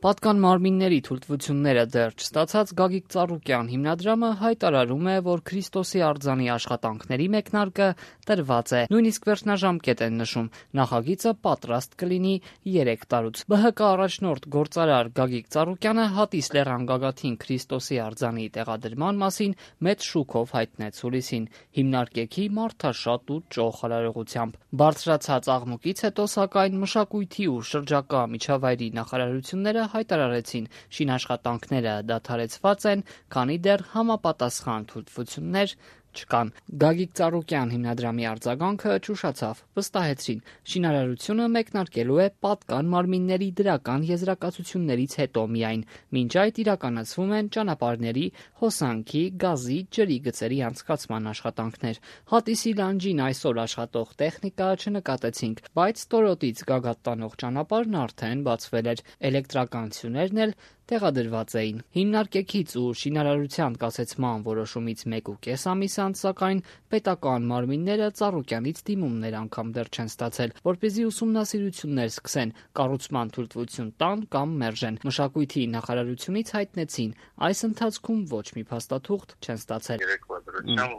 Պատկան մարմինների թույլտվությունները դեռ չստացած Գագիկ Ծառուկյան հիմնադրամը հայտարարում է, որ Քրիստոսի արձանի աշխատանքների մեկնարկը տրված է, նույնիսկ վերջնաժամկետ են նշում, նախագիծը պատրաստ կլինի 3 տարուց։ ԲՀԿ առաջնորդ գործարար Գագիկ Ծառուկյանը հատիս լեռան գագաթին Քրիստոսի արձանի տեղադրման մասին մեծ շուքով հայտնեց հուլիսին, հիմնարկեքի մարդաշատ ու ճոխ արարողությամբ։ Բարձրացած աղմուկից հետո, սակայն, մշակույթի ու շրջակա միջավայրի նախարարությունները հայտարարեցին, շինաշխատանքները դադարեցված են, քանի դեռ համապատասխան թույլտվություններ չկան։ Գագիկ Ծառուկյան հիմնադրամի արձագանքը ճուշացավ, վստահեցրին, շինարարությունը մեկնարկելու է պատկան մարմինների դրական եզրակացություններից հետո միայն, մինչ այդ իրականացվում են ճանապարհների, հոսանքի, գազի, ջրի գծերի անցկացման աշխատանքներ։ Հատիսի լանջին այսօր աշխատող տեխնիկա չնկատեցինք, բայց Տորոտից Գագաթ տանող ճանապարհն արդեն բացվել էր, էլեկտրականություններն էլ տեղադրված էին։ Հիմնարկեքից ու շինարարության կասեցման որոշումից 1.5 ամիս անց, սակայն պետական մարմինները Ծառուկյանից դիմումներ անգամ դեռ չեն ստացել, որպեսզի ուսումնասիրություններ սկսեն, կառուցման թույլտվություն տան կամ մերժեն։ Մշակույթի նախարարությունից հայտնեցին, այս ընթացքում ոչ մի փաստաթուղթ չեն ստացել։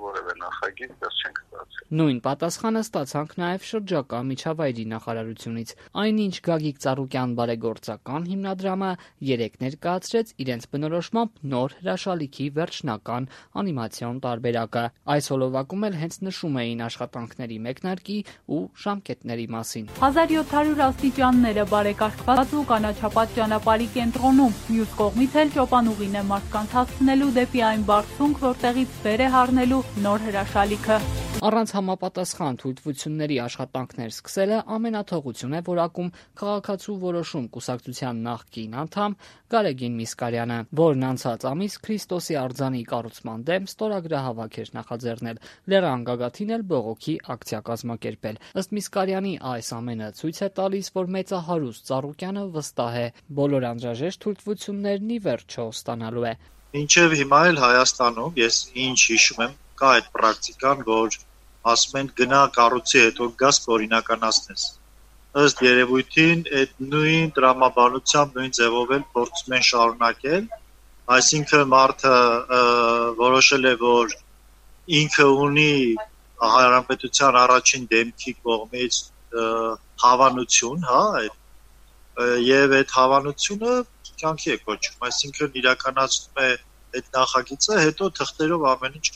Որևէ նախագիծ դեռ չենք ստացել։ Նույն պատասխանը ստացանք նաև շրջակա միջավայրի նախարարությունից։ Այնինչ Գագիկ Ծառուկյան բարեգործական հիմնադրամը 3 ներկայացրեց իրենց բնորոշմամբ նոր հրաշալիքի վերջնական անիմացիոն տարբերակը։ Այս հոլովակում էլ հենց նշում էին աշխատանքների մեկնարկի ու ժամկետների մասին։ 1700 աստիճանները բարեկարգված ու կանաչապատ ճանապարհի կենտրոնում, մյուս կողմից էլ ճոպանուղին է մարդկանց հասցնելու դեպի այն բարձունք, որտեղից վեր է հառնելու նոր հրաշալիքը։ Առանց համապատասխան թույլտվությունների աշխատանքներ սկսելը ամենաթողություն է որակում Քաղաքացու որոշում կուսակցության նախկին անդամ Գարեգին Միսկարյանը, որն անցած ամիս Քրիստոսի արձանի կառուցման դեմ ստորագրահավաք էր նախաձեռնել, լեռան գագաթին էլ բողոքի ակցիա կազմակերպել։ Ըստ Միսկարյանի այս ամենը ցույց է տալիս, որ մեծահարուստ Ծառուկյանը վստահ է, բոլոր անհրաժեշտ թույլտվություններն ի վերջո ստանալու է։ Մինչև հիմա էլ Հայաստանում ես ինչ հիշում եմ, կա այդ պրակտիկան, որ ասում են գնա կառույցի հետո գաս կօրինականացնես։ Ըստ երևույթին այդ նույն տրամաբանությամբ, նույն ձևով էլ փորձում են շարունակել, այսինքն մարդը որոշել է, որ ինքը ունի հանրապետության առաջին դեմքի կողմից հավանություն, եւ այդ հավանությունը կյանքի է կոչվում, այսինքն իրականացնում է այդ նախագիծը, հետո թղթերով ամեն ինչ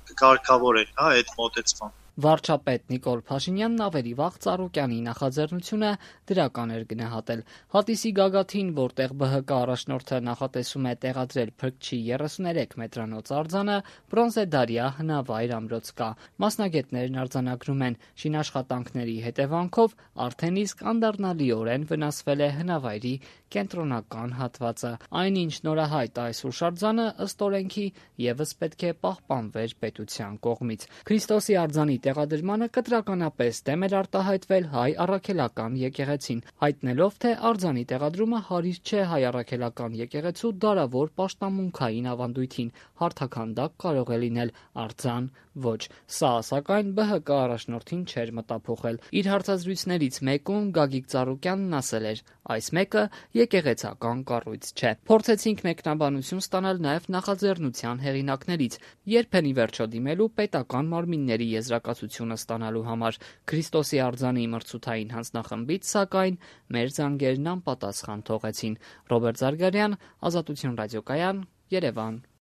կկարգավորեն, այդ մոտեցմամբ։ Վարչապետ Նիկոլ Փաշինյանն ավելի վաղ Ծառուկյանի նախաձեռնությունը դրական էր գնահատել։ Հատիսի գագաթին, որտեղ ԲՀԿ առաջնորդը նախատեսում է տեղադրել Փրկչի 33 մետրանոց արձանը, բրոնզեդարյա հնավայր ամրոց կա։ Մասնագետներն արձանագրում են, շինաշխատանքների հետևանքով արդեն իսկ անդառնալիորեն վնասվել է հնավայրի կենտրոնական հատվածը։ Այնինչ նորահայտ այս հուշարձանը ըստ օրենքի ևս պետք է պահպանվեր պետության կողմից։ Քրիստոսի արձանի տեղադրմանը կտրականապես դեմ էր արտահայտվել հայ առաքելական եկեղեցին, հայտնելով, թե արձանի տեղադրումը հարիր չէ հայ առաքելական եկեղեցու դարավոր պաշտամունքային ավանդույթին, հարթաքանդակ կարող է լինել, արձան ոչ։ Սա, սակայն, ԲՀԿ առաջնորդին չէր մտափոխել։ Իր հարցազրույցներից մեկում Գագիկ Ծառուկյանն ասել էր. այս մեկը եկեղեցական կառույց չէ։ Փորձեցինք մեկնաբանություն ստանալ նաև նախաձեռնության հեղինակներից, երբ են ի վերջո դիմելու պետական մարմինների եզրակացությունը ստանալու համար։ Քրիստոսի արձանի մրցութային հանձնախմբից, սակայն, մեր զանգերն անպատասխան թողեցին։ Ռոբերտ Զարգարյան, Ազատություն ռադիոկայան, Երևան։